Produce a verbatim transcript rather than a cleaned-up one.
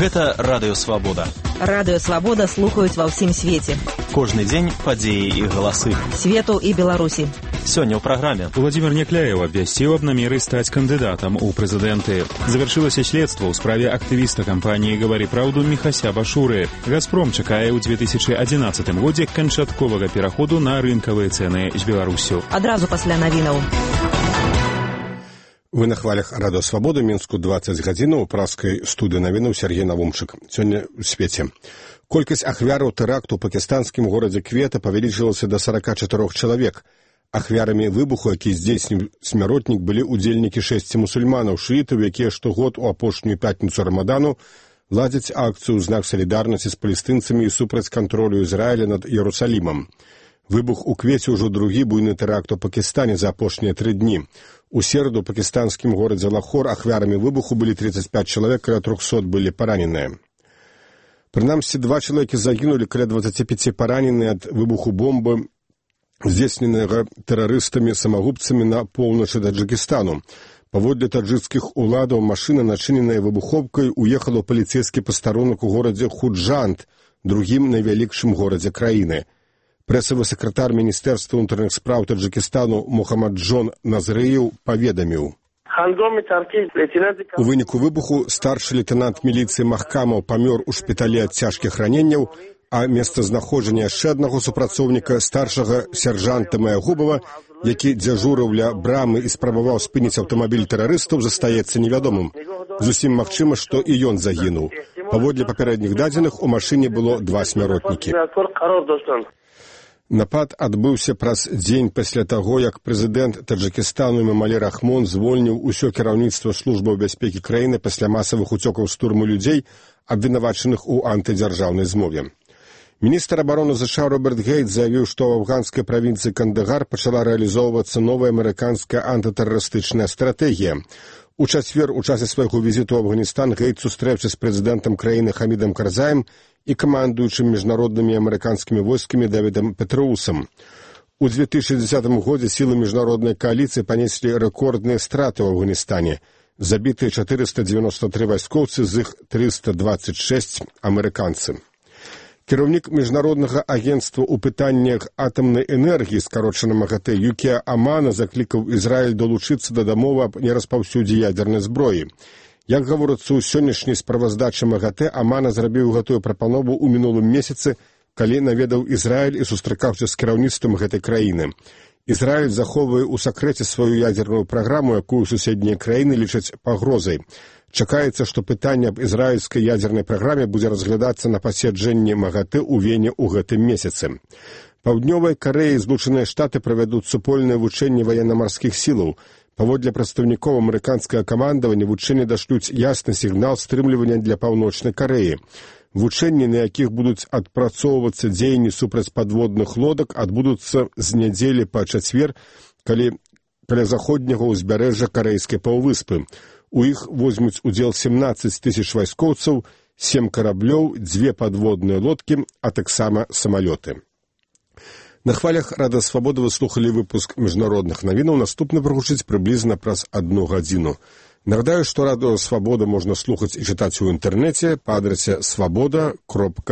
Гэта Радыё Свабода. Радыё Свабода слухаюць ва ўсім свеце. Кожны дзень падзеі і галасы. Свету і Беларусі. Сёння ў праграме. Владимир Некляев абвясціў аб намеры стаць кандыдатам у прэзідэнты. Завяршылася следства ў справе актывіста кампаніі «Гавары праўду» Міхася Башуры. «Газпром» чакае ў две тысячы адзінаццатым годзе канчатковага пераходу на рынкавыя цэны з Беларусю. Адразу пасля навінаў. Вы на хвалях Радыё Свабода, Мінску дваццаць гадзінаў, у праскай студыі навінаў Сергей Навумчык. Сёння ў свеце. Колькасць ахвяраў тэракту ў пакістанскім горадзе Квета павялічылася да сорока чатырох чалавек. Ахвярамі выбуху, які здзейсніў смяротнік, былі ўдзельнікі шэсці мусульманаў, шыітаў, якія штогод у апошнюю пятніцу Рамадану ладзяць акцыю ў знак салідарнасці з палестынцамі і супраць кантролю Ізраіля над Іерусалімам. Выбух у Квеце ўжо другі буйны тэракт у Пакістане за апошнія тры дні. У сераду ў пакістанскім горадзе Лахор ахвярамі выбуху былі тридцать пять чалавек, каля трохсот былі параненыя. Прынамсі, два чалавекі загінулі, каля двадцати пяти параненыя ад выбуху бомбы, здзейсненага тэрарыстамі-самагубцамі на поўначы Таджыкістану. Паводле таджыкскіх уладаў машына, начыненая выбуховкай, уехала ў паліцэйскі пастарунак у горадзе Худжант, другім найвялікшым горадзе краіны. Прэсавы сакратар Міністэрства ўнутраных спраў Таджыкістану Мухаммаджон Назрыеў паведаміў. У выніку выбуху старшы лейтэнант міліцыі Махкамаў памёр у шпіталі ад цяжкіх раненняў, а месцазнаходжанне яшчэ аднаго супрацоўніка, старшага сяржанта Маягубава, які дзяжурыў ля брамы і спрабаваў спыніць аўтамабіль тэрарыстаў, застаецца невядомым. Зусім магчыма, што і ён загінуў. Паводле папярэдніх дадзеных, у машыне было два смяротнікі. Напад адбыўся праз дзень пасля таго, як прэзідэнт Таджыкістану Эмомалі Рахмон звольніў усё кіраўніцтва службаў бяспекі краіны пасля масавых уцёкаў з турмы людзей, абвінавачаных у антыдзяржаўнай змове. Міністр абароны ЗША Роберт Гейт заявіў, што ў афганскай правінцыі Кандагар пачала рэалізоўвацца новая амерыканская антытэрарыстычная стратэгія. У чацвер у часе свайго візіту ў Афганістан Гейт сустрэўся з прэзідэнтам краіны Хамідам Карзаем і камандуючым міжнароднымі амерыканскімі войскамі Дэвідам Петроусам. У две тысячи десятым годзе сілы міжнароднай кааліцыі панеслі рэкордныя страты ў Афганістане. Забітыя четыреста девяносто три вайскоўцы, з іх триста двадцать шесть амерыканцы. Кіраўнік міжнароднага агенцтва ў пытаннях атамнай энергіі, скарочана МАГАТЭ, Юкія Амана, заклікаў Ізраіль долучыцца да дамовы аб нераспаўсюдзе ядзернай зброі. Як гаворыцца ў сённяшняй справаздачы МАГАТЭ, Амана зрабіў гэтую прапанову ў мінулым месяцы, калі наведаў Ізраіль і сустракаўся з кіраўніцтвам гэтай краіны. Ізраіль захоўвае ў сакрэце сваю ядзерную праграму, якую суседнія краіны лічаць пагрозай. Чакаецца, што пытанне аб ізраільскай ядзернай праграме будзе разглядацца на паседжанні МАГАТЭ ў Вене ў гэтым месяцы. Паўднёвай Карэі і Злучаныя Штаты правядуць супольнае вучэнне ваенна-марскіх сілаў. Паводле прадстаўнікоў амерыканскага камандавання вучэнні дашлюць ясны сігнал стрымлівання для Паўночнай Карэі. Вучэнні, на якіх будуць адпрацоўвацца дзеянні супраць падводных лодак, адбудуцца з нядзелі па чацвер, калі каля заходняга ўзбярэжжа Карэйскай паўвыспы. У іх возьмуць удзел семнадцать тысяч вайскоўцаў, сем караблёў, дзве падводныя лодкі, а таксама самалёты. На хвалях Радыё Свабода вы слухалі выпуск міжнародных навінаў. Наступны прагучыць прыблізна праз адну гадзіну. Нагадаю, што Радыё Свабода можна слухаць і чытаць у інтэрнэце па адрасе свабода кропка